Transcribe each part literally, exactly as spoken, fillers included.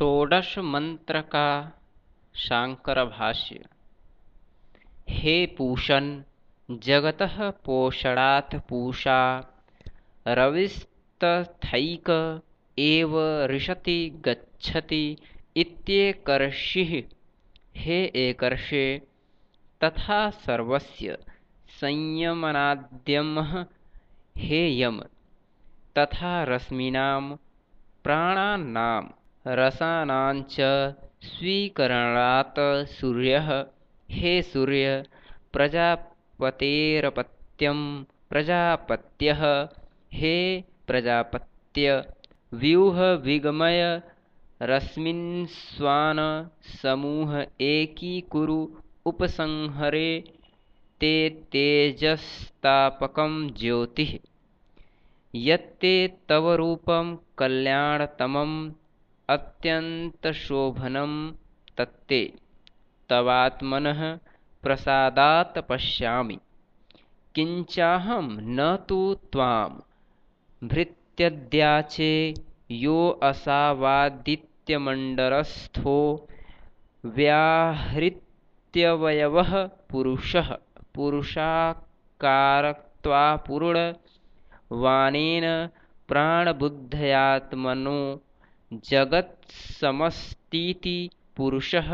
षोडश मंत्र का शांकर भाष्य। हे पूषन् जगतः पोषणात् पूषा रविस्तथैक एव रिषति गच्छति इत्येकर्षिः। हे एकर्षे तथा सर्वस्य संयमनाद्यमः हे यम तथा रश्मीनां प्राणानां रसानाञ्च स्वीकरणात् सूर्यः हे सूर्य प्रजापतेरपत्यं प्रजापत्यः हे प्रजापत्य व्यूह विगमय रश्मिन्स्वान् समूह एकीकुरु उपसंहरे ते तेजस्तापकं ज्योतिः यत्ते तव रूपं कल्याणतमम् अत्यन्तशोभनं तत्ते तवात्मनः प्रसादात् पश्यामि। किंचाहं न तु त्वां भृत्यद्याचे यो असावादित्यमण्डलस्थो व्याहृत्यवयवः पुरुषः पुरुषाकारत्वापूर्णवानेन प्राणबुद्ध्यात्मनो जगत्समस्तीति पुरुषः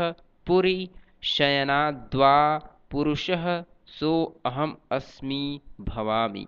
पुरी शयनाद्वा पुरुषः सो अहम् अस्मि भवामि।